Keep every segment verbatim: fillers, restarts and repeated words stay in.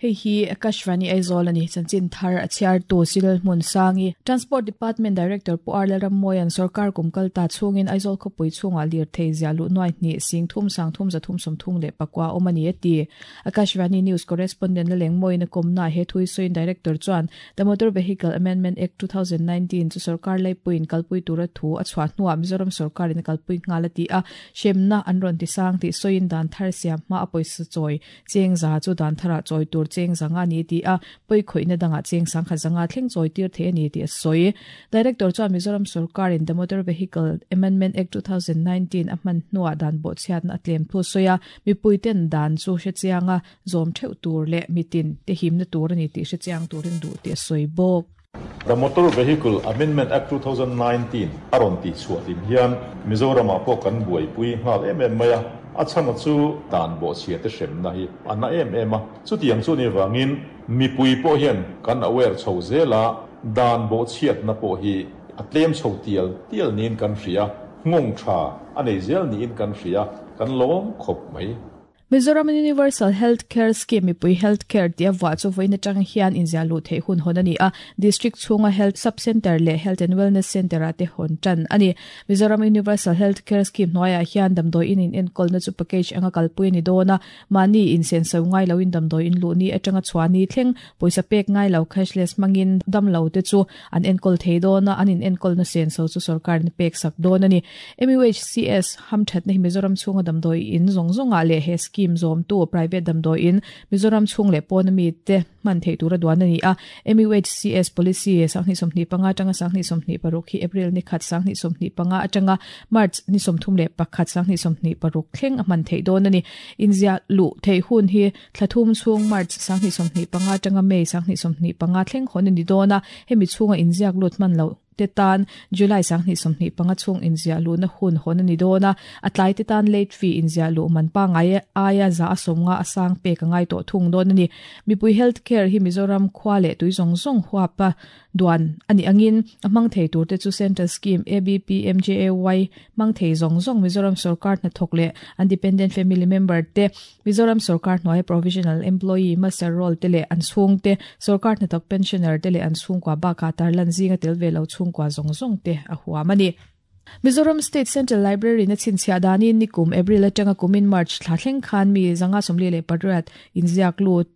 Hei hi Akashvani Aizawl ani chanchin thar a chhiar tu Cyril Hmunsangi Transport Department Director Pu R Lalrammawia'n sarkar kum kal ta chhungin Aizawl khawpui chhungah lir thei zia luh nuai hnih sing thum sang thum za thum sawm thum leh pakua awm a ni a ti. Akashvani News Correspondent Lalengmawiin a kawmna he thui sawiin Director chuan The Motor Vehicle Amendment Act two thousand nineteen chu sarkar laipuiin kalpui tura thu a chhuah hnuah Mizoram sarkarin a kalpui nghal a ti a, hremna an rawn ti sang tih sawiin dan thar siam hma a pawisa chawi cheng za chu dan tharah chawi tur cheng zanga ni ti a poi khoina danga cheng sang kha zanga thleng chawi tir the ani ti a sawi. Director chuan Mizoram sarkar in the Motor Vehicle Amendment Act two thousand nineteen a hman hnuah dan bo chhiat na atlem thu soya mipuiten dan chu hre chianga zawm theuh tur leh mitin te himna tur ani ti hre chiang turin du ti a sawi bawk. The Motor Vehicle Amendment Act two thousand nineteen aron ti chhuah lim hian Mizoram ah pawh kan buaipui nghal em em mai a, a chhan chu dan bo chhia te hrem na hi ana em em a, chutiang chu ni wangin mipui pawh hian kan aware chho zela dan bo chhiat na pawh hi a tlem chho tial tial niin kan hria, ngawng tha anei zel niin kan hria, kan lawm khawp mai. Mizoram Universal Health Care Scheme mipui Health Care tia wa chu voina tang hian inzia lu thei hun hon ani a, District chhunga Health Sub Center leh Health and Wellness Center ate hon tan ani. Mizoram Universal Health Care Scheme hnuaiah hian damdawi in in enkawl na chu package anga kalpui ani dawna, mani in sen so ngai lo in damdawi in lu ni atanga chhuani thleng pawisa pek ngai lo cashless mangin dam lo te chu an enkawl thei dawna, an in enkawl na sen so chu sarkar ni pek sak dawn ani. M U H C S hamthat na hi Mizoram chhunga damdawi in zawng zawnga leh he scheme zom tu private damdawi in Mizoram chhung leh pawn ami te man thei tura duan ani a. M U H C S policy sanghni sawmhnih panga atanga sanghni sawmhnih paruk hi April ni khat sanghni sawmhnih panga atanga March ni sawmthum leh pakhat sanghni sawmhnih paruk thleng a man thei dawn ani. Inzia lu thei hun hi thlathum chhung March sanghni sawmhnih panga atanga May sanghni sawmhnih panga thleng hon ani dawn a, hemi chhunga inziak lut man lo te tan July sanghni sawmhnih panga chhung inzia lu na hun hon ani dawn a, a tlai te tan late fee inzia lu man pa ngai aia za asawmnga asang pe ka ngai to thung dawn ani. Mipui health care hi Mizoram khwa leh tui zawng zawng huapa duan ani angin a hmang thei tur te chu Central Scheme A B P M J A Y hmang thei zawng zawng Mizoram sarkar hna thawk leh independent family member te Mizoram sarkar hnuaia provisional employee master roll te leh an chhung te sarkar hna thawk pensioner te leh an chhungkua bakah tarlan zinga tel ve lo chhungkua zawng zawng te a huam ani. Mizoram State Central Library na chinchhia danin nikum April atanga kumin March thla thleng khan mi zanga sawmli leh pariat inziak lut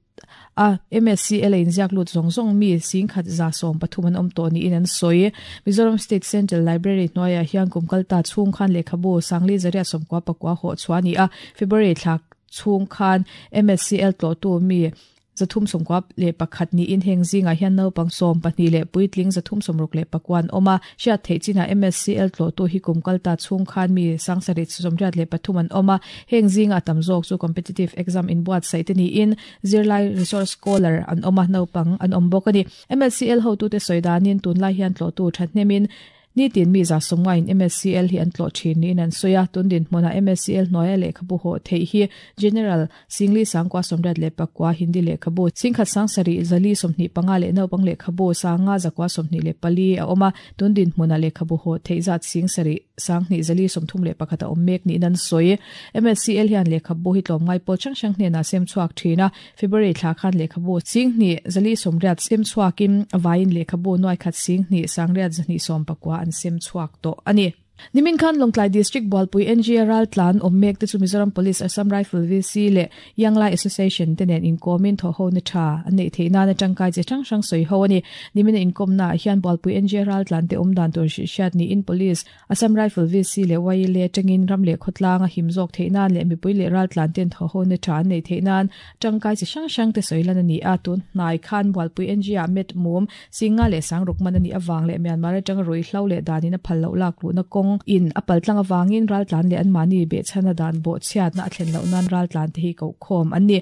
a M S C L inziak lut zawng zawng mi sing khat za sawm pathum an awm tawh niin an sawi. Mizoram State Central Library hnuaiah hian kum kalta chhung khan lehkhabu sangli zaria sawmkua pakua hawh chhuah ani a, February thla chhung khan M S C L tlawh tu mi zathum sawmkua leh pakhat niin heng zingah hian naupang sawm pahnih leh puitling zathum sawmruk leh pakuan awm a, hriat theih chinah M S C L tlawh tu hi kum kalta chhung khan mi sangsarih sawmriat leh pathum an awm a, heng zingah tam zawk chu competitive exam inbuatsaih te niin zirlai resource scholar an awm a, naupang an awm bawk ani. M S C L hotute sawi danin tunlai hian tlawh tu thathnemin nitin mi za sawmngain M S C L hi an tlawh thin niin an sawi a, tundin hmunah M S C L hnuaia lehkhabu hawh theih hi General Singli sangkua sawmriat leh pakua Hindi lehkhabu singkhat sangsarih zali sawmhnih panga leh naupang lehkhabu sanga zakua sawmhnih leh pali a awm a, tundin hmunah lehkhabu hawh theih zat singsarih sanghnih zali sawmthum leh pakhat a awm mek niin an sawi. M S C L hian lehkhabu hi tlawmngai pawl hrang hrang hnenah sem chhuak thin a, February thla khan lehkhabu singhnih zali sawmriat sem chhuakin vaiin lehkhabu nuai khat singhnih sangriat zahnih sawm pakua an sem chhuak tawh ani. Nimin khan Lawngtlai District Bualpui N G Ral tlan awm mek te chu Mizoram Police Assam Rifle V C leh Yanglai Association te nen inkomin thaw ho na tha an nei theih nana tangkai che hrang hrang sawi ho ani. Nimin inkom na hian Bualpui N G Ral tlan te awm dan tur hriat ni in Police Assam Rifle V C leh Y L A tangin ram leh khawtlang a him zawk theih nan leh mipui leh ral tlan ten thaw ho na tha an nei theih nan tangkai che hrang hrang te sawi lan ani a, tun hnai khan Bualpui N G a met mum singa leh sangruk man ani awang leh Myanmar atanga rui hlo leh danin a phal lo lak lu na kawng in apal tlang awangin ral tlan leh an mani be chhana dan bo chhiat na a thlen loh nan ral tlan te hi ko khawm an ni.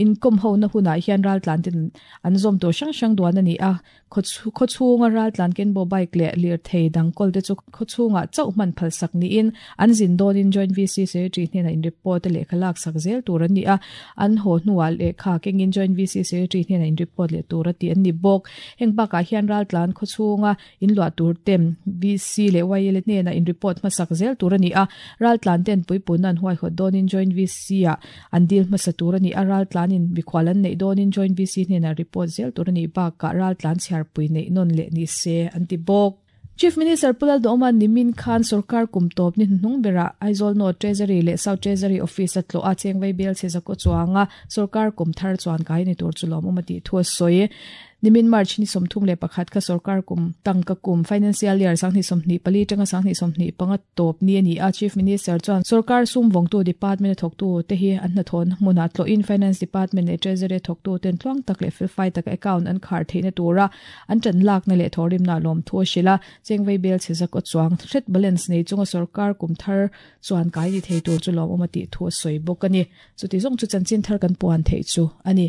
In kom ho na hunah hian ral tlan ten an zawm tur hrang hrang duan ani a, khaw chhunga ral tlan ken bo bike leh lir thei dang kawl te chu khaw chhunga chauh hman phal sak niin an zin dawnin joint V C secretary hnenah in report leh khalak sak zel tur an ni a, an haw hnuah lehkha kengin joint V C secretary hnenah in report leh tur a ti an ni bawk. Heng bakah hian ral tlan khaw chhunga in luah tur tem V C leh Y L hnenah in report hmasak zel tur ani a raltlan ten puipun an huai hot donin joint VC a an dil hmasa tur ani a raltlanin mikhual an nei donin joint VC hnena report zel tur ani ba ka raltlan chhiar pui nei non le ni se an ti bawk Chief Minister Pu Lalduhoma nimin khan sarkar kum top ni hnung bera Aizawl North Treasury leh South Treasury Office a tlo a chengvei bel che zako chuanga sarkar kum thar chuan kai ni tur chulom umati thu soi nimin March ni somthum le pakhat kha sarkar kum tangka kum financial year sangni somni pali tanga sangni somni panga top ni ani a Chief Minister chuan sarkar sum vongtu department thoktu te hi an na thon muna tlo in finance department le treasury thoktu ten tluang tak le fil fai tak account an khar theina tura an chan lak na le thorim na lom thu shila chengvei bel che zako chuang threat balance nei chunga sarkar kum thar chuan kai ni thei tur chu lom umati thu soi bok ani chu ti zong chu chanchin thar kan puan thei chu ani.